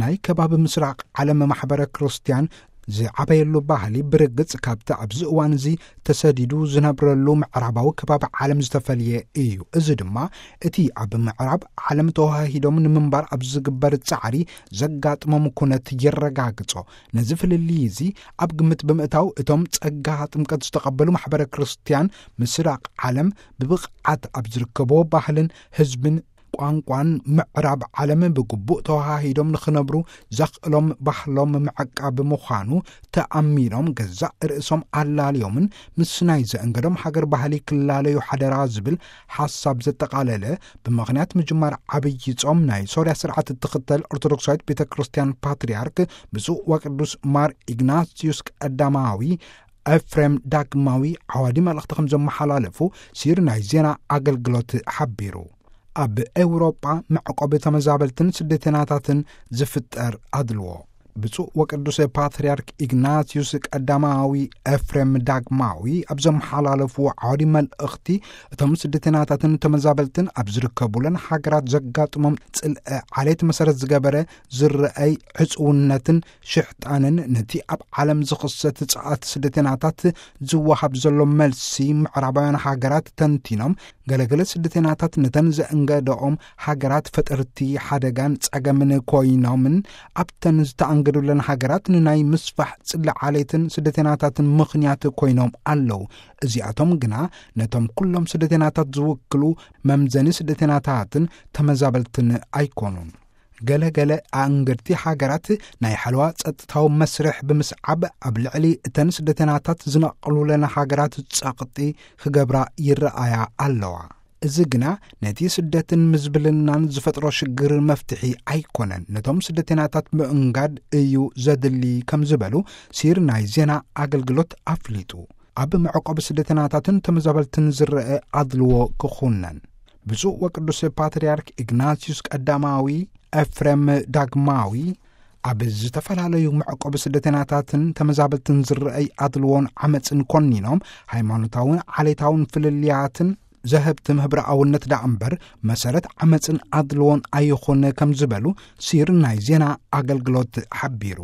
ናይ ከባቢ ምስራቕ ዓለም ማሕበረ ክርስትያን ዝዓበየሉ ባህሊ ብርግጽ ካብቲ ኣብዚ እዋን እዚ ተሰዲዱ ዝነብረሉ ምዕራባዊ ከባቢ ዓለም ዝተፈልየ እዩ። እዚ ድማ እቲ ኣብ ምዕራብ ዓለም ተዋሃሂዶም ንምንባር ኣብ ዝግበር ጻዕሪ ዘጋጥሞም ኩነት የረጋግጾ። ነዚ ፍልልይ እዚ ኣብ ግምት ብምእታው እቶም ጸጋ ጥምቀት ዝተቐበሉ ማሕበረ ክርስትያን ምስራቕ ዓለም ብብቕዓት ኣብ ዝርከቦ ባህልን ህዝብን ቋንቋን ምዕራብ ዓለም ብግቡእ ተዋሃሂዶም ንኽነብሩ ዘኽእሎም ባህሎም ምዕቃብ ምዃኑ ተኣሚኖም ገዛእ ርእሶም ኣላልዮምን ምስ ናይ ዘእንገዶም ሃገር ባህሊ ክላለዩ ሓደራ ዝብል ሓሳብ ዘጠቓለለ ብምኽንያት ምጅማር ዓብዪ ጾም ናይ ሶርያ ስርዓት እትኽተል ኦርቶዶክሳዊት ቤተ ክርስትያን ፓትርያርክ ብፁዕ ወቅዱስ ማር ኢግናስዩስ ቀዳማዊ ኤፍሬም ዳግማዊ ዓዋዲ መልእኽቲ ከም ዘመሓላለፉ ሲር ናይ ዜና ኣገልግሎት ሓቢሩ። ኣብ ኤውሮጳ መዕቆቢ ተመዛበልትን ስደተናታትን ዝፍጠር ኣድልዎ። ብፁዕ ወቅዱስ ፓትርያርክ ኢግናስዩስ ቀዳማዊ ኤፍሬም ዳግማዊ ኣብ ዘመሓላለፍዎ ዓዋዲ መልእኽቲ፣ እቶም ስደተናታትን ተመዛበልትን ኣብ ዝርከቡለን ሃገራት ዘጋጥሞም ጽልአ ዓሌት መሰረት ዝገበረ ዝረኣይ ዕጽውነትን ሽሕጣንን ነቲ ኣብ ዓለም ዝኽሰት ጸዓት ስደተናታት ዝወሃብ ዘሎ መልሲ ምዕራባውያን ሃገራት ተንቲኖም፣ ገለገለ ስደተናታት ነተን ዘእንገደኦም ሃገራት ፈጠርቲ ሓደጋን ጸገምን ኮይኖምን ኣብተን ዝተኣንገዱለን ሃገራት ንናይ ምስፋሕ ጽሊ ዓሌትን ስደተናታትን ምኽንያት ኮይኖም ኣለዉ። እዚኣቶም ግና ነቶም ኩሎም ስደተናታት ዝውክሉ መምዘኒ ስደተናታትን ተመዛበልትን ኣይኮኑን። ገለ ገለ ኣእንገድቲ ሃገራት ናይ ሓለዋ ጸጥታዊ መስርሕ ብምስዓብ ኣብ ልዕሊ እተን ስደተናታት ዝነቕሉለን ሃገራት ጸቕጢ ክገብራ ይረኣያ ኣለዋ። እዚ ግና ነቲ ስደትን ምዝብልናን ዝፈጥሮ ሽግር መፍትሒ ኣይኮነን። ነቶም ስደተናታት ምእንጋድ እዩ ዘድሊ ከም ዝበሉ ሲር ናይ ዜና ኣገልግሎት ኣፍሊጡ። ኣብ መዕቆቢ ስደተናታትን ተመዛበልትን ዝረአ ኣድልዎ ክኹነን። ብፁዕ ወቅዱስ ፓትርያርክ ኢግናስዩስ ቀዳማዊ ኤፍሬም ዳግማዊ ኣብ ዝተፈላለዩ መዕቆቢ ስደተናታትን ተመዛበልትን ዝረኣይ ኣድልዎን ዓመፅን ኮኒኖም፣ ሃይማኖታውን ዓሌታውን ፍልልያትን ዘህብትም ህብረኣውነት ደኣ እምበር መሰረት ዓመፅን ኣድልዎን ኣይኹን ከም ዝበሉ ሲር ናይ ዜና ኣገልግሎት ሓቢሩ።